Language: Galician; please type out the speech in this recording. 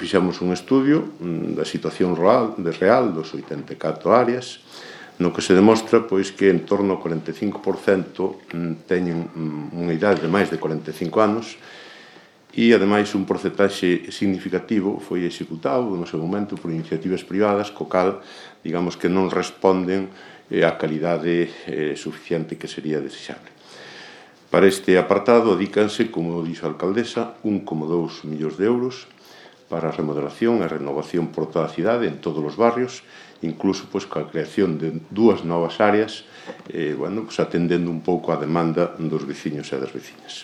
fixemos un estudio da situación real dos 84 áreas, no que se demostra pois, que en torno ao 45% teñen unha idade de máis de 45 anos e, ademais, un porcentaxe significativo foi executado no seu momento por iniciativas privadas, co cal, digamos que non responden á calidade suficiente que sería desexable. Para este apartado, adícanse, como dixo a alcaldesa, 1,2 millóns de euros para a remodelación e renovación por toda a cidade, en todos os barrios, incluso coa creación de 2 novas áreas, atendendo un pouco a demanda dos veciños e das veciñas.